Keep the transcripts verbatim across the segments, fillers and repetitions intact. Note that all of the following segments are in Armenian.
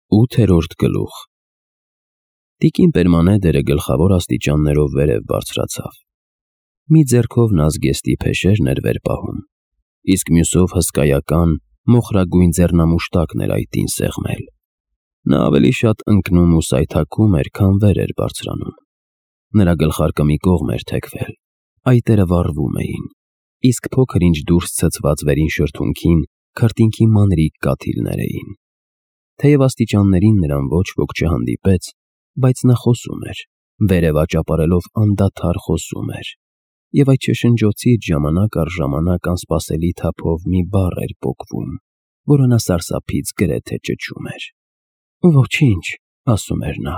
Ութերորդ գլուխ Տիկին Պերմանեդերը գլխավոր աստիճաններով վերև բարձրացավ։ Մի ձեռքով նա զգեստի փեշերն էր վեր պահում, իսկ մյուսով հսկայական, մոխրագույն ձեռնամուշտակն էր այտին սեղմել։ Նա ավելի շատ ընկնում ու սայթաքում էր, քան վեր էր բարձրանում։ Նրա գլխարկը մի կողմ էր թեքվել, այտերը վառվում էին, իսկ փոքր-ինչ դուրս ցցված վերին շրթունքին քրտինքի մանրիկ կաթիլներ էին։ Թեև աստիճաններին նրան ոչ ոք չհանդիպեց, բայց նա խոսում էր, վերև աճապարելով անդադար խոսում էր, և այդ շշնջոցից ժամանակ առ ժամանակ անսպասելի թափով մի բառ էր պոկվում, որը նա սարսափից գրեթե ճչում էր։ «Ոչինչ», ասում էր նա,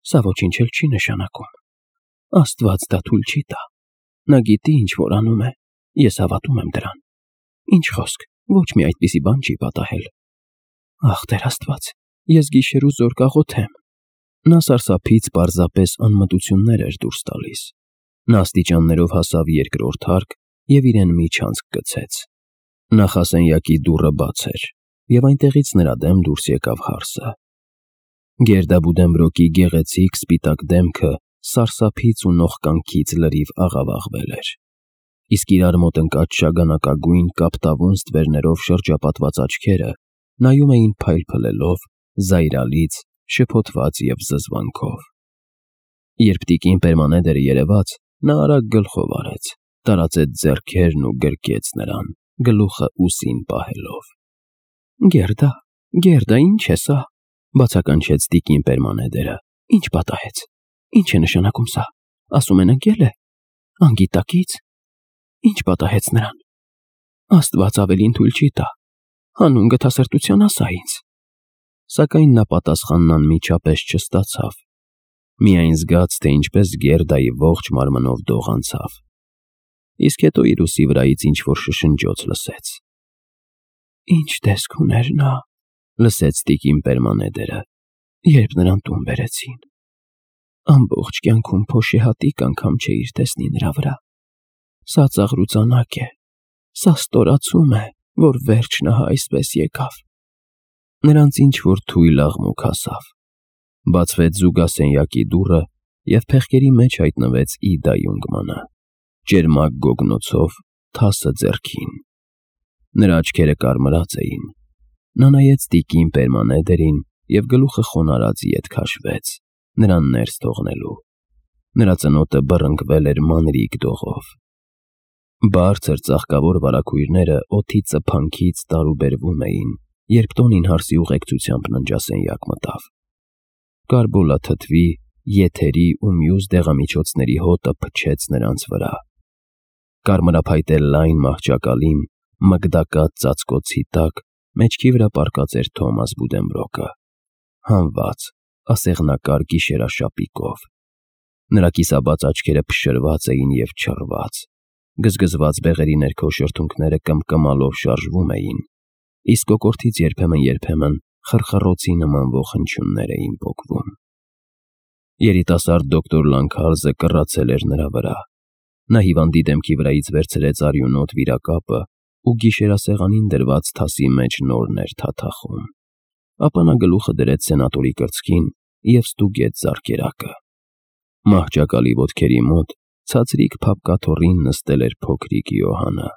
«սա ոչինչ էլ չի նշանակում։ Աստված դա թույլ չի տա։ Նա գիտի, ինչ որ անում է, ես հավատում եմ դրան։ Ինչ խոսք, ոչ մի այդպիսի բան չի պատահել։ Ախ, Տեր Աստված, ես գիշեր ու զօր կաղոթեմ»։ Նա սարսափից պարզապես անմտություններ էր դուրս տալիս։ Նա աստիճաններով հասավ երկրորդ հարկ և իրեն միջանցք գցեց։ Նախասենյակի դուռը բաց էր, և այնտեղից նրա դեմ դուրս եկավ հարսը։ Գերդաբուդենբրոկի գեղեցիկ սպիտակ դեմքը սարսափից ու նողկանքից լրիվ աղավաղվել էր, իսկ իրար մոտ ընկած շագանակագույն կապտավուն ստվերներով շրջապատված աչքերը նայում էին փայլփլելով, զայրալից, շփոթված և զզվանքով։ Երբ տիկին Պերմանեդերը երևաց, նա արագ գլխով արեց, տարածեց ձեռքերն ու գրկեց նրան, գլուխը ուսին պահելով։ «Գերդա, Գերդա, ի՞նչ է սա», բացականչեց տիկին Պերմանեդերը։ «Ի՞նչ պատահեց։ Ի՞նչ է նշանակում սա։ Ասում են ընկել է։ Անգիտակից։ Ի՞նչ պատահեց նրան։ Աստված ավելին թույլ չի տա։ Հանուն գթասրտության ասա ինձ»։ Սակայն նա պատասխանն անմիջապես չստացավ, միայն զգաց, թե ինչպես Գերդայի ողջ մարմնով դող անցավ, իսկ հետո իր ուսի վրայից ինչ-որ շշնջոց լսեց։ «Ի՞նչ տեսք ուներ նա», լսեց տիկին Պերմանեդերը, «երբ նրան տուն բերեցին։ Ամբողջ կյանքում փոշիհատիկ անգամ չէիր տեսնի նրա վրա։ Սա ծաղրուծանակ է, սա ստորացում է, որ վերջն ահա այսպես եկավ»։ Նրանց ինչ-որ թույլ աղմուկ հասավ։ Բացվեց զուգասենյակի դուռը, և փեղկերի մեջ հայտնվեց Իդա Յունգմանը, ճերմակ գոգնոցով, թասը ձեռքին։ Նրա աչքերը կարմրած էին։ Նա նայեց տիկին Պերմանեդերին և գլուխը խոնարհած ետ քաշվեց, նրան ներս թողնելու։ Նրա ծնոտը բռնկվել էր մանրիկ դողով։ Բարձր ծաղկավոր վարագույրները օդի ծփանքից տարուբերվում էին, երբ տոնին հարսի ուղեկցությամբ ննջասենյակ մտավ։ Կարբոլա թթվի, եթերի ու մյուս դեղամիջոցների հոտը փչեց նրանց վրա։ Կարմրափայտե լայն մահճակալին, մգդակած ծածկոցի տակ, մեջքի վրա պառկած էր Թոմաս Բուդենբրոկը, հանված, ասեղնակար գիշերաշապիկով։ Նրա կիսաբաց աչքերը փշրված էին և չռված, գզգզված բեղերի ներքո շրթունքները կմկմալով շարժվում էին, իսկ կոկորդից երբեմն֊երբեմն խռխռոցի նմանվող հնչյուններ էին պոկվում։ Երիտասարդ դոկտոր Լանքարզը կռացել էր նրա վրա։ Նա հիվանդի դեմքի վրայից վերցրեց արյունոտ վիրակապը ու գիշերասեղանին դրված թասի մեջ նորն էր թաթախում։ Ապա նա գլուխը դրեց սենատորի կրծքին և ստուգեց ձեռքերակը։ Մահճակալի ոտքերի մոտ ցածրիկ փապկաթոռին նստել էր փոքրիկ Յոհանը,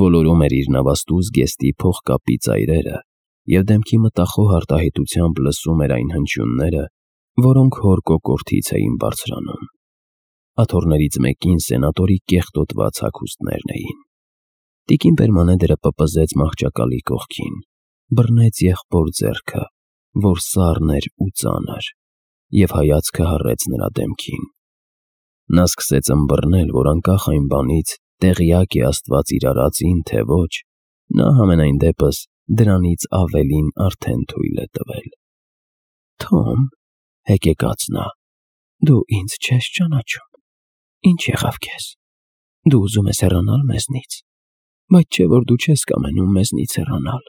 ոլորում էր իր նավաստու զգեստի փողկապի ծայրերը և դեմքի մտախոհ արտահայտությամբ լսում էր այն հնչյունները, որոնք հոր կոկորդից էին բարձրանում։ Աթոռներից մեկին սենատորի կեղտոտված հագուստներն էին։ Տիկին Պերմանեդերը պպզեց մահճակալի կողքին, բռնեց եղբոր ձեռքը, որ սառն էր ու ծանր, և հայացքը հառեց նրա դեմքին։ Նա սկսեց ըմբռնել, որ անկախ այն բանից, տեղյակ է Աստված իր արածին, թե ոչ, նա համենայն դեպս դրանից ավելին արդեն թույլ է տվել։ «Թոմ», հեկեկաց նա, «դու ինձ չես ճանաչում։ Ինչ եղավ քեզ։ Դու ուզում ես հեռանալ մեզնից, բայց չէ՞ որ դու չես կամենում մեզնից հեռանալ։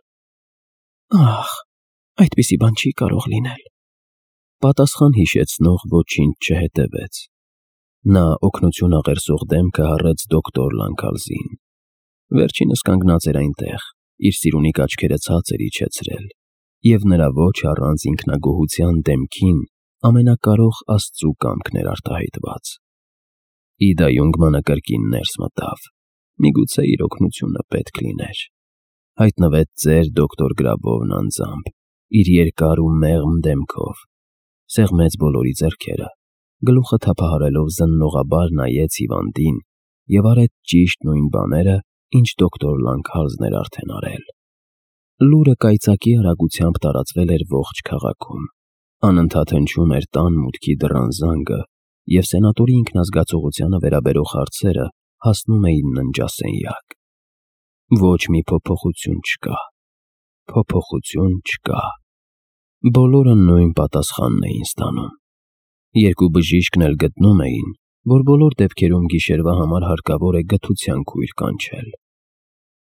Ախ, այդպիսի բան չի կարող լինել»։ Պատասխան հիշեցնող ոչինչ չհետևեց։ Նա օգնություն աղերսող դեմքը հառեց դոկտոր Լանքարզին։ Վերջինս կանգնած էր այնտեղ, իր սիրունիկ աչքերը ցածր իջեցրել, և նրա ոչ առանց ինքնագոհության դեմքին ամենակարող Աստծու կամքն էր արտահայտված։ Իդա Յունգմանը կրկին ներս մտավ, միգուցե իր օգնությունը պետք լիներ։ Հայտնվեց ծեր դոկտոր Գրաբովն անձամբ, իր երկար ու մեղմ դեմքով, սեղմեց բոլորի ձեռքերը, գլուխը թափահարելով զննողաբար նայեց հիվանդին և արեց ճիշտ նույն բաները, ինչ դոկտոր Լանքհալզն էր արդեն արել։ Լուրը կայծակի արագությամբ տարածվել էր ողջ քաղաքում, անընդհատ հնչում էր տան մուտքի դռան զանգը, և սենատորի ինքնազգացողությանը վերաբերող հարցերը հասնում էին ննջասենյակ։ Ոչ մի փոփոխություն չկա, փոփոխություն չկա։ Բոլորը նույն պատասխանն էին ստանում։ Երկու բժիշկն էլ գտնում էին, որ բոլոր դեպքերում գիշերվա համար հարկավոր է գթության քույր կանչել։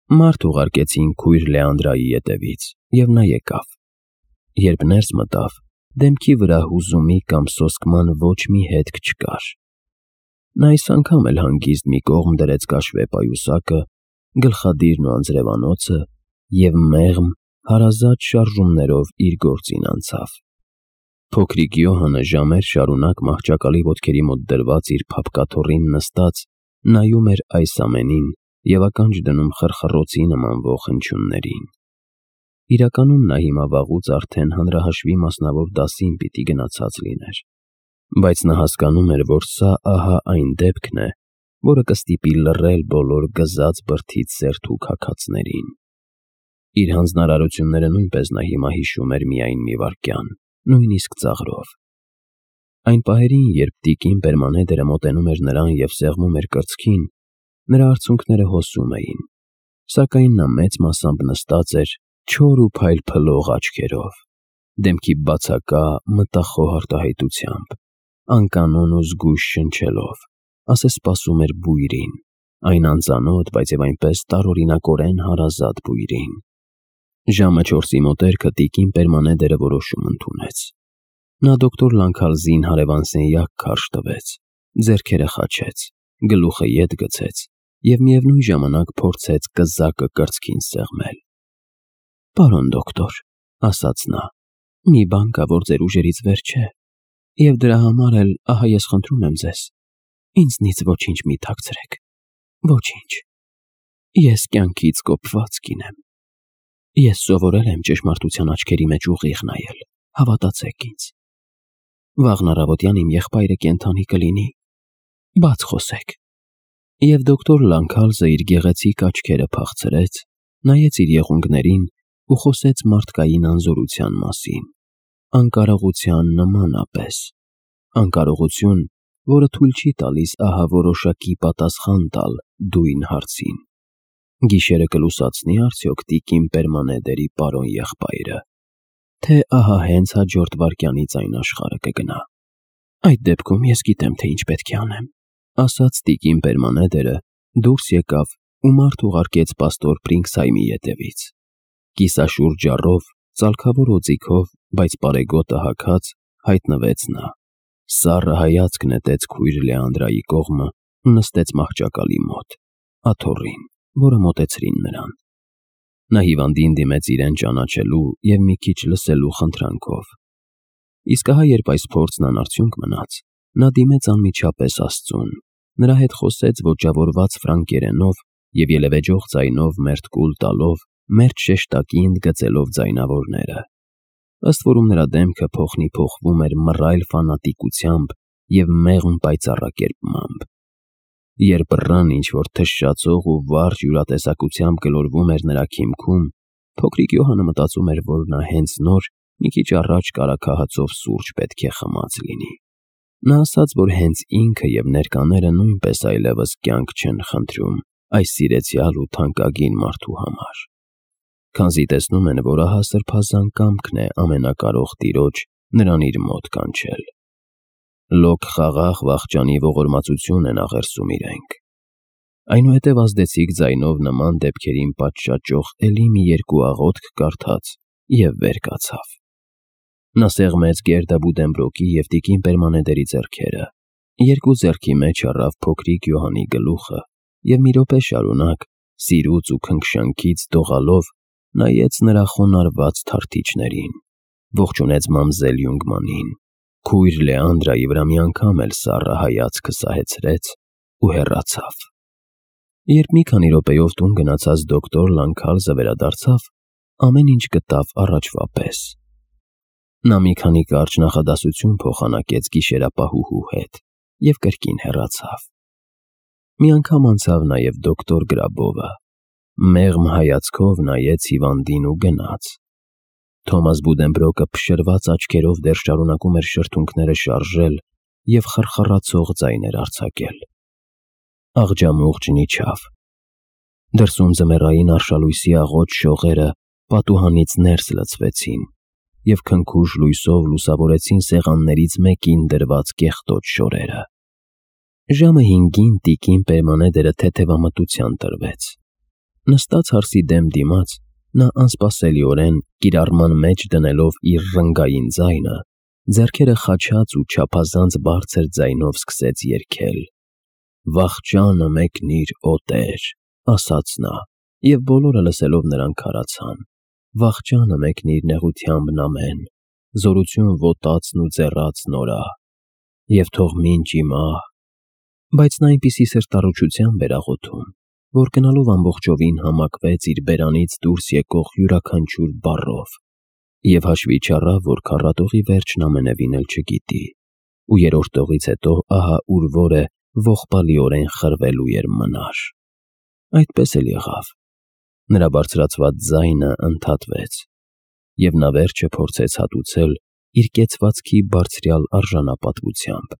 Մարդ ուղարկեցին քույր Լեանդրայի ետևից, և նա եկավ։ Երբ ներս մտավ, դեմքի վրա հուզումի կամ սոսկման ոչ մի հետք չկար։ Նա այս անգամ էլ հանգիստ մի կողմ դրեց կաշվե պայուսակը, գլխադիրն ու անձրևանոցը և մեղմ, հարազատ շարժումներով իր գործին անցավ։ Փոքրիկ Յոհանը ժամեր շարունակ մահճակալի ոտքերի մոտ դրված իր փափկաթոռին նստած նայում էր այս ամենին և ականջ դնում խռխռոցի նմանվող հնչյուններին։ Իրականում նա հիմա վաղուց արդեն հանրահաշվի մասնավոր դասին պիտի գնացած լիներ, բայց նա հասկանում էր, որ սա ահա այն դեպքն է, որը կստիպի լռել բոլոր գզած բրդից սերթու քաքացներին։ Իր հանձնարարությունները նույնպես նա հիմա հիշում էր միայն մի վայրկյան, նույնիսկ ծաղրով։ Այն պահերին, երբ տիկին Պերմանեդերը մոտենում էր նրան և սեղմում էր կրծքին, նրա արցունքները հոսում էին, սակայն նա մեծ մասամբ նստած էր չոր ու փայլփլող աչքերով, դեմքի բացակա, մտախոհ արտահայտությամբ, անկանոն ու զգույշ շնչելով, ասես սպասում էր բույրին, այն անծանոթ, բայց և այնպես տարօրինակորեն հարազատ բույրին։ Ժամը չորսի մոտերքը տիկին Պերմանեդերը որոշում ընդունեց։ Նա դոկտոր Լանքհալզին հարևան սենյակ քարշ տվեց, ձեռքերը խաչեց, գլուխը ետ գցեց և միևնույն ժամանակ փորձեց կզակը կրծքին սեղմել։ «Պարոն դոկտոր», ասաց նա, «մի բան կա, որ ձեր ուժերից վեր չէ, և դրա համար էլ ահա ես խնդրում եմ ձեզ, ինձնից ոչինչ մի թաքցրեք, ոչինչ։ Ես կյանքից կոպված կին եմ։ Ես սովորել եմ ճշմարտության աչքերի մեջ ուղիղ նայել, հավատացեք ինձ։ Վաղն առավոտյան իմ եղբայրը կենդանի կլինի, բաց խոսեք»։ Եվ դոկտոր Լանքհալզը իր գեղեցիկ աչքերը փախցրեց, նայեց իր եղունգներին ու խոսեց մարդկային անզորության մասին, անկարողության նմանապես, անկարողություն, որը թույլ չի տալիս ահա որոշակի պատասխան տալ դույն հարցին. գիշերը կլուսացնի արդյոք տիկին Պերմանեդերի պարոն եղբայրը, թե ահա հենց հաջորդ վայրկյանից այն աշխարհը կգնա։ «Այդ դեպքում ես գիտեմ, թե ինչ պետք է անեմ», ասաց տիկին Պերմանեդերը, դուրս եկավ ու մարդ ուղարկեց պաստոր Պրինգսհայմի ետևից։ Կիսաշուռ ջառով, ծալքավոր օձիքով, բայց պարեգոտը հագած, հայտնվեց նա, սառը հայացք նետեց քույր Լեանդրայի կողմը ու նստեց մահճակալի մոտ, աթոռին, որը մոտեցրին նրան։ Նա հիվանդին դիմեց իրեն ճանաչելու և մի քիչ լսելու խնդրանքով։ Իսկ ահա երբ այս փորձն անարդյունք մնաց, նա դիմեց անմիջապես Աստծուն, նրա հետ խոսեց ոճավորված ֆրանկերենով և ելևէջող ձայնով մերթ կուլ տալով, մերթ շեշտակի ընդգծելով ձայնավորները։ Ըստ որում նրա դեմքը փոխնիփոխվում էր մռայլ ֆանատիկությամբ և մեղմ պայծառակերպմամբ։ Երբ բռան ինչ-որ թշշացող ու վարժ յուրատեսակությամբ գլորվում էր նրա քիմքում, փոքրիկ Յոհանը մտածում էր, որ նա հենց նոր, մի քիչ առաջ կարագահացով սուրճ պետք է խմած լինի։ Նա ասաց, որ հենց ինքը և ներկաները նույնպես այլևս կյանք չեն խնդրում այս սիրեցյալ ու թանկագին մարդու համար, քանզի տեսնում են, որ ահա սրբազան կամքն է ամենակարող Տիրոջ նրան իր մոտ կանչել։ Լոկ խաղաղ վախճանի ողորմածություն են աղերսում իրենք։ Այնուհետև ազդեցիկ ձայնով նման դեպքերին պատշաճող էլի մի երկու աղոթք կարդաց և վեր կացավ։ Նա սեղմեց Գերդա Բուդենբրոկի և տիկին Պերմանեդերի ձեռքերը, երկու ձեռքի մեջ առավ փոքրիկ Յոհանի գլուխը և մի րոպե շարունակ, սիրուց ու քնքշանքից դողալով, նայեց նրա խոնարհված թարթիչներին, ողջունեց մամզել Յունգմանին, քույր Լեանդրայի վրա մի անգամ էլ սառը հայացքը սահեցրեց ու հեռացավ։ Երբ մի քանի րոպեով տուն գնացած դոկտոր Լանքալզը վերադարձավ, ամեն ինչ գտավ առաջվա պես։ Նա մի քանի կարճ նախադասություն փոխանակեց գիշերապահուհու հետ և կրկին հեռացավ։ Մի անգամ անցավ նաև դոկտոր Գրաբովը, մեղմ հայացքով նայեց հիվանդին ու գնաց։ Թոմաս Բուդենբրոկը փշրված աչքերով դեռ շարունակում էր շրթունքները շարժել և խռխռացող ձայներ արձակել։ Աղջամուղջն իջավ։ Դրսում ձմեռային արշալույսի աղոտ շողերը պատուհանից ներս լցվեցին և քնքուշ լույսով լուսավորեցին սեղաններից մեկին դրված կեղտոտ շորերը։ Ժամը հինգին տիկին Պերմանեդերը թեթևամտության տրվեց։ Նստած հարսի դեմ դիմաց, նա անսպասելիորեն, կիրառման մեջ դնելով իր ռնգային ձայնը, ձեռքերը խաչած ու չափազանց բարձր ձայնով սկսեց երգել. «Վախճանը մեկնիր, օ Տեր», ասաց նա, և բոլորը լսելով նրան քարացան. «Վախճանը մեկնիր նեղությամբ նամեն, զորություն ոտածն ու ձեռածն օրա, և թող մինչ ի մահ»։ Բայց նա այնպիսի սրտառուչությամբ էր աղոթում, որ գնալով ամբողջովին համակվեց իր բերանից դուրս եկող յուրաքանչյուր բառով և հաշվի չառավ, որ քառատողի վերջն ամենևին էլ չգիտի, ու երրորդ տողից հետո ահա ուր որ է ողբալիորեն խրվելու էր մնար։ Այդպես էլ եղավ։ Նրա բարձրացված ձայնը ընդհատվեց, և նա վերջը փորձեց հատուցել իր կեցվածքի բարձրյալ արժանապատվությամբ։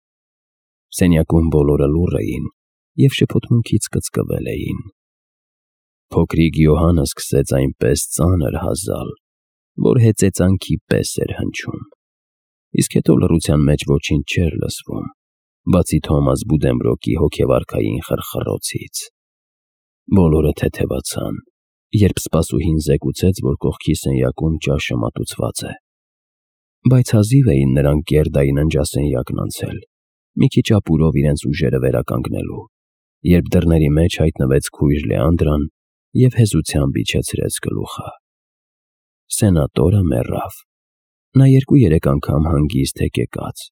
Սենյակում բոլորը լուռ էին և շփոթմունքից կծկվել էին։ Փոքրիկ Յոհանը սկսեց այնպես ծանր հազալ, որ հեծեծանքի պես էր հնչում, իսկ հետո լռության մեջ ոչինչ չէր լսվում, բացի Թոմաս Բուդենբրոկի հոգեվարքային խռխռոցից։ Բոլորը թեթևացան, երբ սպասուհին զեկուցեց, որ կողքի սենյակում ճաշը մատուցված է։ Բայց հազիվ էին նրանք Գերդայի ննջասենյակն անցել, մի քիչ ապուրով իրենց ուժերը վերականգնելու, երբ դռների մեջ հայտնվեց քույր Լեանդրան և հեզությամբ իջեցրեց գլուխը։ Սենատորը մեռավ։ Նա երկու-երեք անգամ հանգիստ հեկեկաց,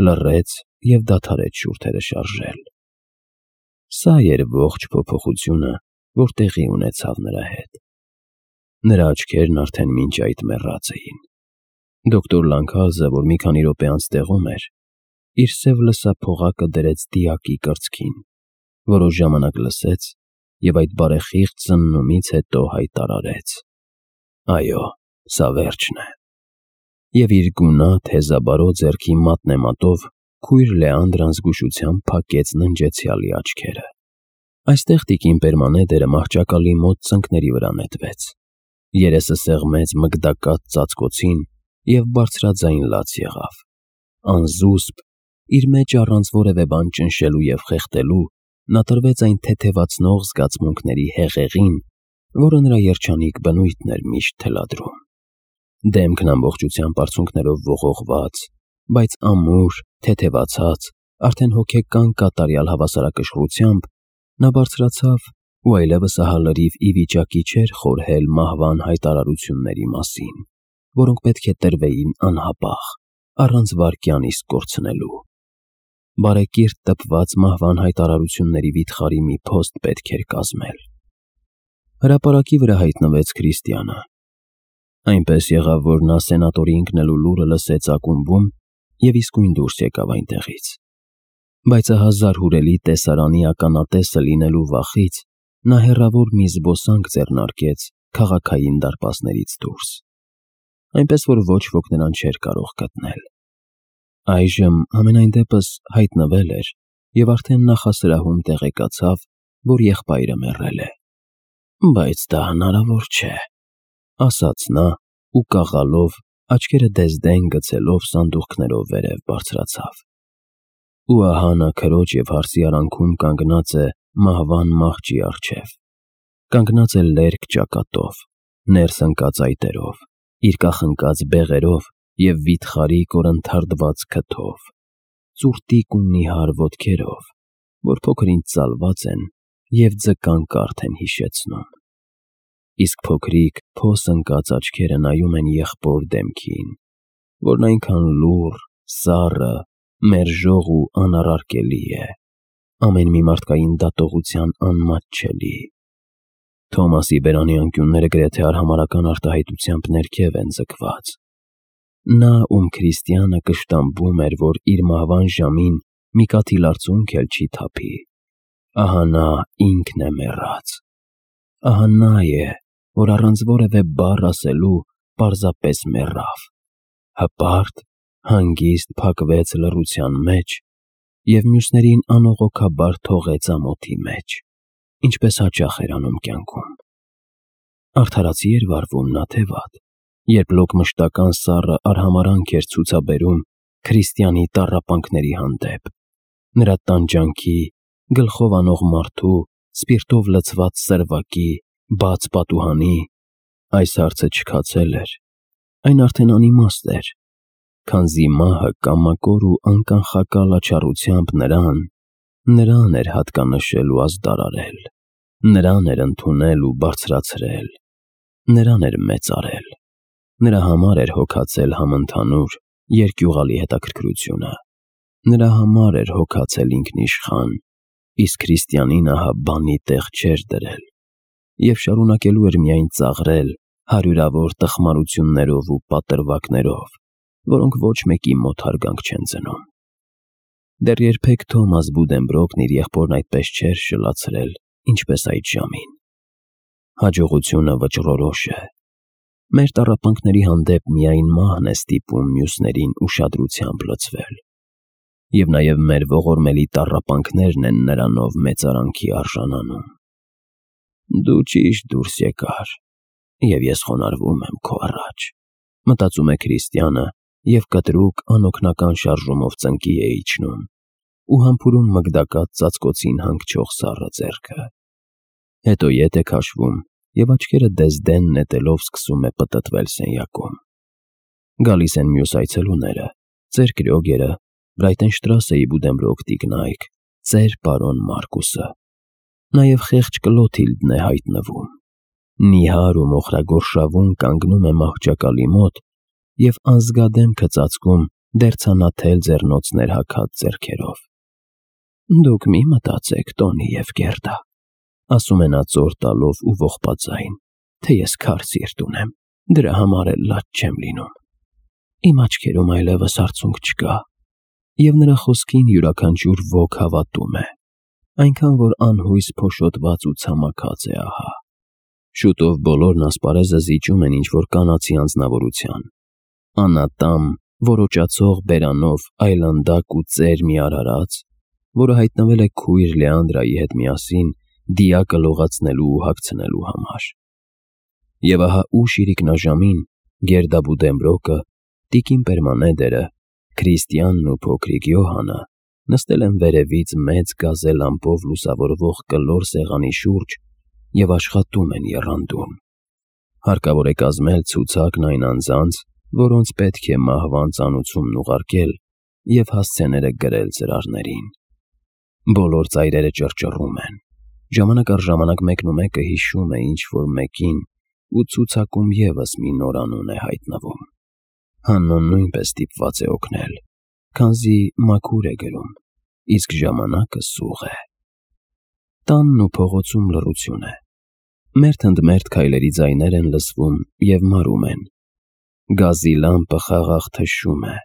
լռեց և դադարեց շուրթերը շարժել։ Սա էր ողջ փոփոխությունը, որ տեղի ունեցավ նրա հետ։ Նրա աչքերն արդեն մինչ այդ մեռած էին։ Դոկտոր Լանքալզը, որ մի քանի րոպե անց տեղում էր, իր սև լսափողակը դրեց դիակի կրծքին, որոշ ժամանակ լսեց և այդ բարեխիղճ զննումից հետո հայտարարեց. «Այո, սա վերջն է»։ Եվ իր գունատ հեզաբարո ձեռքի մատնեմատով քույր Լեանդրան զգուշությամբ փակեց ննջեցյալի աչքերը։ Այստեղ տիկին Պերմանեդերը մահճակալի մոտ ծնկների վրա նետվեց, երեսը սեղմեց մգդակած ծածկոցին և բարձրաձայն լաց եղավ։ Անզուսպ, իր մեջ առանց որևէ բան ճնշելու և խեղդելու, նա տրվեց այն թեթևացնող զգացմունքների հեղեղին, որը նրա երջանիկ բնույթն էր միշտ թելադրում։ Դեմքն ամբողջությամբ արցունքներով ողողված, բայց ամուր, թեթևացած, արդեն հոգեկան կատարյալ հավասարակշռությամբ, նա բարձրացավ ու այլևս ահա լրիվ ի վիճակի չէր խորհել մահվան հայտարարությունների մասին, որոնք պետք է տրվեին անհապաղ, առանց վայրկյան իսկ կորցնելու։ Բարեկիրթ տպված մահվան հայտարարությունների վիթխարի մի փոստ պետք էր կազմել։ Հրապարակի վրա հայտնվեց Քրիստիանը։ Այնպես եղավ, որ նա սենատորի ընկնելու լուրը լսեց ակումբում և իսկույն դուրս եկավ այնտեղից։ Բայց ահա զարհուրելի տեսարանի ականատեսը լինելու վախից նա հեռավոր մի զբոսանք ձեռնարկեց քաղաքային դարպասներից դուրս, այնպես որ ոչ ոք նրան չէր կարող գտնել։ Այժմ համենայն դեպս հայտնվել էր և արդեն նախասրահում տեղեկացավ, որ եղբայրը մեռել է։ «Բայց դա հնարավոր չէ», ասաց նա ու կաղալով, աչքերը դեզդեն գցելով սանդուղքներով վերև բարձրացավ։ Ու ահա նա քրոջ և հարսի արանքում կանգնած է մահվան մահճի առջև, կանգնած է լերկ ճակատով, ներս ընկած այտերով, իր կախնկած բեղերով և վիթխարի կորնթարդված քթով, ծուրտիկ ու նիհար ոտքերով, որ փոքր-ինչ ծալված են և ձկան կարթ են հիշեցնում։ իսկ փոքրիկ փոս ընկած աչքերը նայում են եղբոր դեմքին, որն այնքան լուռ, սառը, մերժող ու անառարկելի է, ամեն մի մարդկային դատողության անմատչելի։ Թոմասի բերանի անկյունները գրեթե արհամարհական արտահայտությամբ ներքև են ձգված։ Նա, ում Քրիստիանը կշտամբում էր, որ իր մահվան ժամին մի կաթիլ արցունք էլ չի թափի, ահա նա ինքն է մեռած։ Ահա նա է, որ առանց որևէ բառ ասելու պարզապես մեռավ, հպարտ, հանգիստ փակվեց լռության մեջ և մյուսներին անողոքաբար թողեց ամոթի մեջ, ինչպես հաճախ էր անում կյանքում։ Արդարացի էր վարվում նա, թե վատ, երբ լոկ-մշտական սառը արհամարհանք էր ցուցաբերում Քրիստիանի տառապանքների հանդեպ, նրա տանջանքի, գլխով անող մարդու, սպիրտով լցված սրվակի, բաց պատուհանի։ Այս հարցը չքացել էր, այն արդեն անիմաստ էր, քանզի մահը կամակոր ու անկանխակալ աչառությամբ նրան, նրան էր հատկանշել ու ազդարարել, նրան էր ընդունել ու բարձրացրել, նրան էր մեծարել, նրա համար էր հոգացել համընդհանուր, երկյուղալի հետաքրքրությունը, նրա համար էր հոգացել ինքնիշխան, իսկ Քրիստիանին ահա բանի տեղ չէր դրել և շարունակելու էր միայն ծաղրել հարյուրավոր տխմարություններով ու պատրվակներով, որոնք ոչ մեկի մոտ հարգանք չեն ծնում։ Դեռ երբեք Թոմաս Բուդենբրոկն իր եղբորն այդպես չէր շլացրել, ինչպես այդ ժամին։ Հաջողությունը վճռորոշ է։ Մեր տառապանքների հանդեպ միայն մահն է ստիպում մյուսներին ուշադրությամբ լցվել, և նաև մեր ողորմելի տառապանքներն են նրանով մեծարանքի արժանանում։ Դու ճիշտ դուրս եկար, և ես խոնարհվում եմ քո առաջ, մտածում է Քրիստիանը և կտրուկ անօգնական շարժումով ծնկի է իջնում ու համբուրում մգդակած ծածկոցին հանգչող սառը ձեռքը։ Հետո ետ է քաշվում և աչքերը դեզդեն նետելով սկսում է պտտվել սենյակում։ Գալիս են մյուս այցելուները, ծեր Կրյոգերը, Բրայտենշտրասեի Բուդենբրոկ տիկնայք, ծեր պարոն Մարկուսը։ Նաև խեղճ Կլոթիլդն է հայտնվում։ Նիհար ու մոխրագորշավուն կանգնում է մահճակալի մոտ և անզգադեմքը ծածկում դերձանաթել ձեռնոցներ հագած ձեռքերով։ Դուք մի մտածեք, Տոնի և Գերդա, ասում է նա ծոր տալով ու ողբաձայն, թե ես քար սիրտ ունեմ, դրա համար էլ լաց չեմ լինում։ Իմ աչքերում այլևս արցունք չկա, և նրա խոսքին յուրաքանչյուր ոք հավատում է, այնքան որ անհույս փոշոտված ու ցամաքած է ահա։ Շուտով բոլորն ասպարեզը զիջում են ինչ-որ կանացի անձնավորության, անատամ, որոճացող բերանով այլանդակ ու ծեր մի արարած, որը հայտնվել է քույր Լեանդրայի հետ միասին դիակը լողացնելու ու հագցնելու համար։ Եվ ահա ուշ իրիկնաժամին Գերդա Բուդենբրոկը, տիկին Պերմանեդերը, Քրիստիանն ու փոքրիկ Յոհանը նստել են վերևից մեծ գազե լամպով լուսավորվող կլոր սեղանի շուրջ և աշխատում են եռանդուն։ Հարկավոր է կազմել ցուցակն այն անձանց, որոնց պետք է մահվան ծանուցումն ուղարկել և հասցեները գրել ծրարներին։ Բոլոր ծայրերը ճռճռում են, ժամանակ առ ժամանակ մեկնումեկը հիշում է ինչ-որ մեկին ու ցուցակում ևս մի նոր անուն է հայտնվում։ Հաննոն նույնպես ստիպված է օգնել, քանզի մաքուր է գրում, իսկ ժամանակը սուղ է։ Տանն ու փողոցում լռություն է։ Մերթ ընդ մերթ քայլերի ձայներ են լսվում և մարում են։ Գազի լամպը խաղաղ թշում է։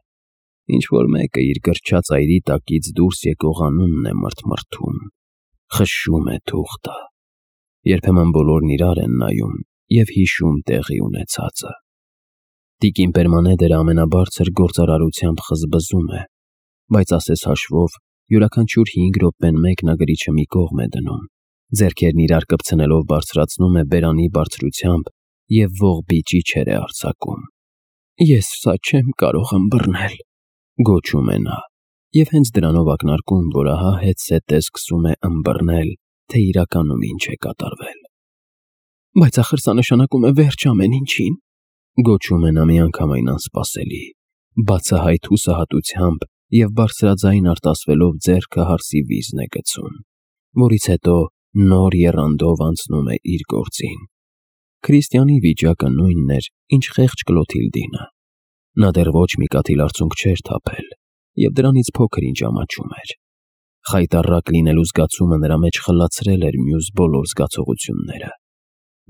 Ինչ-որ մեկը իր գրչած այրի տակից դուրս եկող անունն է մրթմրթում, խշշում է թուղթը։ Երբեմն բոլորն իրար են նայում և հիշում տեղի ունեցածը։ Տիկին Պերմանեդերը ամենաբարձր գործարարությամբ խզբզում է, բայց ասես հաշվով յուրաքանչյուր հինգ րոպեն մեկնագրիչը մի կողմ է դնում, ձեռքերն իրար կպցնելով բարձրացնում է բերանի բարձրությամբ և ողբիճիչեր է արձակում։ Ես սա չեմ կարող ըմբռնել, գոչում է նա, և հենց դրանով ակնարկում, որ ահա հետզհետե սկսում է ըմբռնել, թե իրականում ինչ է կատարվել։ Բայց ախր սա նշանակում է վերջ ամեն ինչին, գոչում է նա միանգամայն անսպասելի, բացահայտ հուսահատությամբ և բարձրաձայն արտասվելով ձեռքը հարսի վիզն է գցում, որից հետո նոր եռանդով անցնում է իր գործին։ Քրիստիանի վիճակը նույնն էր, ինչ խեղճ Կլոթիլդինը։ Նա դեռ ոչ մի կաթիլ արցունք չէր թափել և դրանից փոքր ինչ ամաչում էր։ Խայտառակ լինելու զգացումը նրա մեջ խլացրել էր մյուս բոլոր զգացողությունները։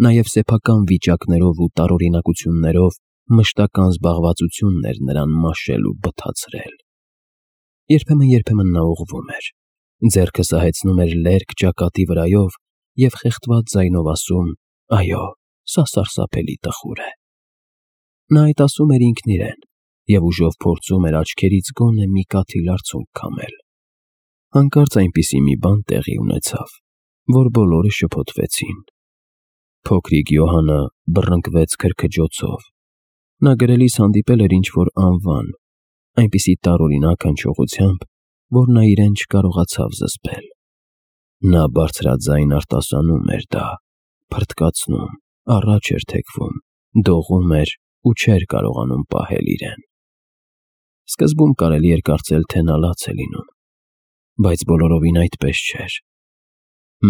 Նաև սեփական վիճակներով ու տարօրինակություններով մշտական զբաղվածությունն էր նրան մաշել ու բթացրել։ Երբեմն-երբեմն նա ուղղվում էր, ձեռքը սահեցնում էր լերկ ճակատի վրայով և խեղդված ձայնով ասում. «Այո, սա սարսափելի տխուր է»։ Նա այդ ասում էր ինքն իրեն և ուժով փորձում էր աչքերից գոնե մի կաթիլ արցունք քամել։ Հանկարծ այնպիսի մի բան տեղի ունեցավ, որ բոլորը շփոթվեցին։ Փոքրիկ Յոհանը բռնկվեց քրքջոցով։ Նա գրելիս հանդիպել էր ինչ-որ անվան, այնպիսի տարօրինակ հնչողությամբ, որ նա իրեն չկարողացավ զսպել։ Նա բարձրաձայն արտասանում էր դա, փռթկացնում, առաջ էր թեքվում, դողում էր ու չէր կարողանում պահել իրեն։ Սկզբում կարելի էր կարծել, թե նա լաց է լինում, բայց բոլորովին այդպես չէր։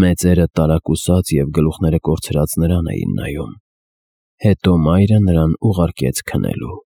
Մեծերը տարակուսած և գլուխները կորցրած նրան էին նայում։ Հետո մայրը նրան ուղարկեց քնելու։